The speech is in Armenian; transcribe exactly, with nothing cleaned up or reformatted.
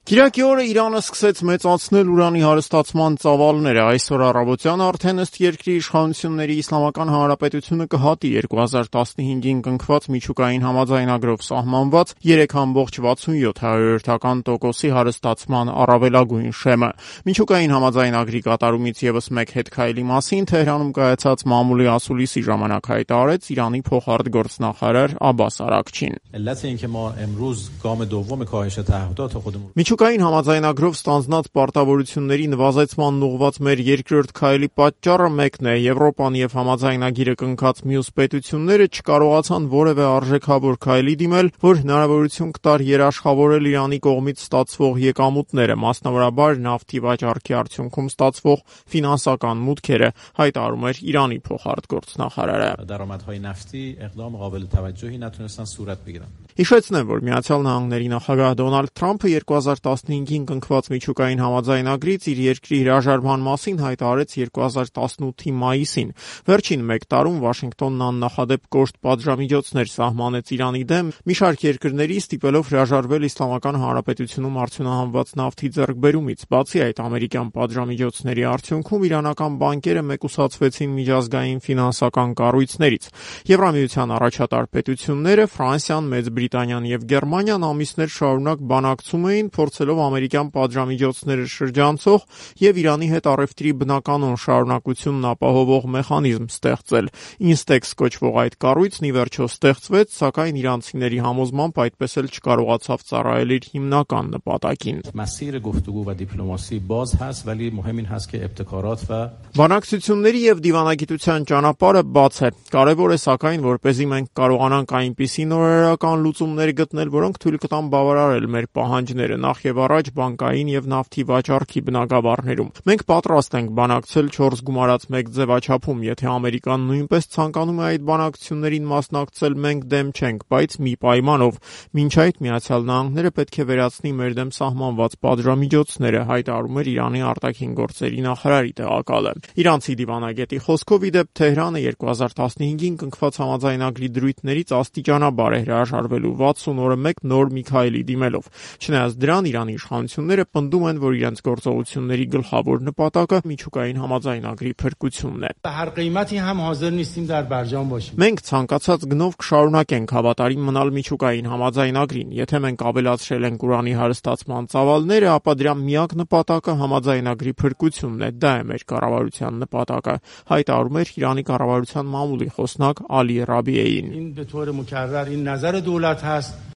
Կիրակի օրը Իրանը սկսեց մեծացնել ուրանի հարստացման ծավալները։ Այսօր առավոտյան արդեն ըստ երկրի իշխանությունների Իսլամական Հանրապետությունը կհատի երկու հազար տասնհինգին կնքված միջուկային համաձայնագրով սահմանված երեք կόμma վաթսունյոթ տոկոսի հարստացման առավելագույն շեմը։ Միջուկային համաձայնագրի կատարումից ևս մեկ հետքայլի մասին Թեհրանում կայացած մամուլի ասուլիսի ժամանակ հայտարարեց Իրանի փոխարտգործնախարար Աբբաս Արաքչին։ Միջուկային համաձայնագրով ստանձնած պարտավորությունների նվազեցման ուղղված մեր երկրորդ քայլի պատճառը մեկն է. Եվրոպան եւ համաձայնագիրը կնքած մյուս պետությունները չկարողացան որևէ արժեքավոր քայլի դիմել, որ հնարավորություն կտար երաշխավորել Իրանի կողմից ստացվող եկամուտները, մասնավորաբար նավթի վաճառքի արդյունքում ստացվող ֆինանսական մուտքերը, հայտարարում էր Իրանի փոխարտգործնախարարը։ Հիշեցնեմ, որ Միացյալ Նահանգների նախագահ Դոնալդ Թրամփը երկու հազար տասնհինգին կնքված միջուկային համաձայնագրից իր երկրի հրաժարման մասին հայտարարեց երկու հազար տասնութի մայիսին։ Վերջին մեկ տարում Վաշինգտոնն աննախադեպ կոշտ պատժամիջոցներ սահմանեց Իրանի դեմ, մի շարք երկրների ստիպելով հրաժարվել Իսլամական Հանրապետությունում արդյունահանված նավթի ձեռքբերումից։ Բացի այդ, ամերիկյան պատժամիջոցների արդյունքում իրանական բանկերը մեկուսացվեցին միջազգային ֆինանսական կառույցներից։ Եվրամիության առաջատար պետությունները Ֆրանսիան, Մեծ Բրիտանիան եւ Գերմանիան ամիսներ շարունակ բանակցում էին, փորձելով ամերիկյան պատժամիջոցները շրջանցող եւ Իրանի հետ առևտրի բնականon շարունակությունն ապահովող մեխանիզմ ստեղծել։ Ինստեքս կոչվող այդ կառույցն ի վերջո ստեղծվեց, սակայն իրանցիների համոզմամբ այդպես էլ չկարողացավ ծառայել իր հիմնական նպատակին։ Բանակցությունների եւ դիվանագիտության ճանապարհը բաց է։ Կարևոր է սակայն, որպեսզի մենք կարողանանք այնպիսի նորարարական լուծումներ գտնել, որոնք թույլ կտան բավարարել մեր պահանջները, նախ եւ առաջ բանկային եւ նավթի վաճառքի բնագավառներում։ Մենք պատրաստ ենք բանակցել չորս գումարած մեկ ձևաչափում, եթե Ամերիկան նույնպես ցանկանում է այդ բանակցություններին մասնակցել, մենք դեմ չենք, բայց մի պայմանով։ Մինչ այդ Միացյալ Նահանգները պետք է վերացնի մեր դեմ սահմանված պատժամիջոցները, հայտարարում էր Իրանի արտաքին գործերի նախարարի տեղակալը։ Իրանցի դիվանագետի խոսքով, ի դեպ, Թեհրանը երկու հազար տասնհինգին կնքված համաձայնագրի դրույթներից աստիճանաբար է հրաժարվելու վաթսուն օրը մեկ նոր մի քայլի դիմելով։ Չնայած դրան, Իրանի իշխանությունները պնդում են, որ իրենց գործողությունների գլխավոր նպատակը միջուկային համաձայնագրի փրկությունն է։ Մենք ցանկացած գնով կշարունակենք հավատարիմ մնալ միջուկային համաձայնագրին։ Եթե մենք ավելացրել ենք ուրանի հարստացման ծավալները, ապա դրա միակ նպատակը համաձայնագրի փրկությունն է։ Դա է մեր կառավարության նպատակը, հայտարարում էր Իրանի կառավարության մամուլի խոսնակ Ալի Ռաբիեին։